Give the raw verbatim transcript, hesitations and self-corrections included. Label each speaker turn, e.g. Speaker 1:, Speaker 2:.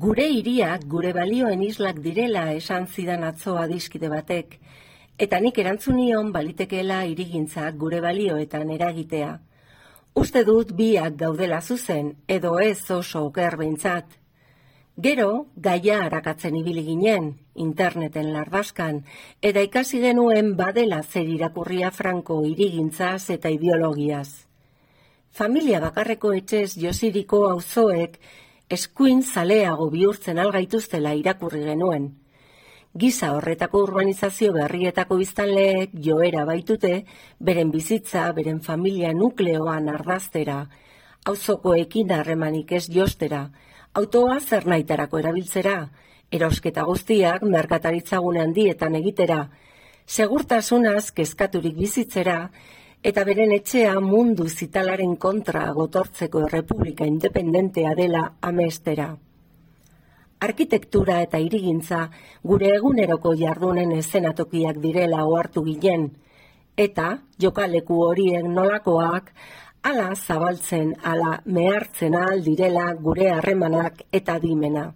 Speaker 1: Gure hiriak gure balioen islak direla esan zidan atzo adiskide batek, eta nik erantzun nion balitekeela hirigintzak gure balioetan eragitea. Uste dut biak gaudela zuzen, edo ez oso oker behintzat. Gero, gaia arakatzen ibili ginen, interneten lardaskan, eta ikasi genuen badela zer irakurria Franco hirigintzaz eta ideologiaz. Familia bakarreko etxez josiriko auzoek eskuin zaleago bihurtzen algaituztela irakurri genuen. Giza horretako urbanizazio berrietako biztanleek joera baitute, beren bizitza, beren familia nukleoan ardaztera, auzokoekin harremanik ez jostera, autoa zer nahitarako erabiltzera, erosketa guztiak merkataritzagune handietan egitera, segurtasunaz kezkaturik bizitzera, eta beren etxea mundu zitalaren kontra gotortzeko errepublika independentea dela amestera. Arkitektura eta hirigintza gure eguneroko jardunen eszenatokiak direla ohartu ginen, eta jokaleku horiek nolakoak hala zabaltzen, hala mehartzen ahal direla gure harremanak eta adimena.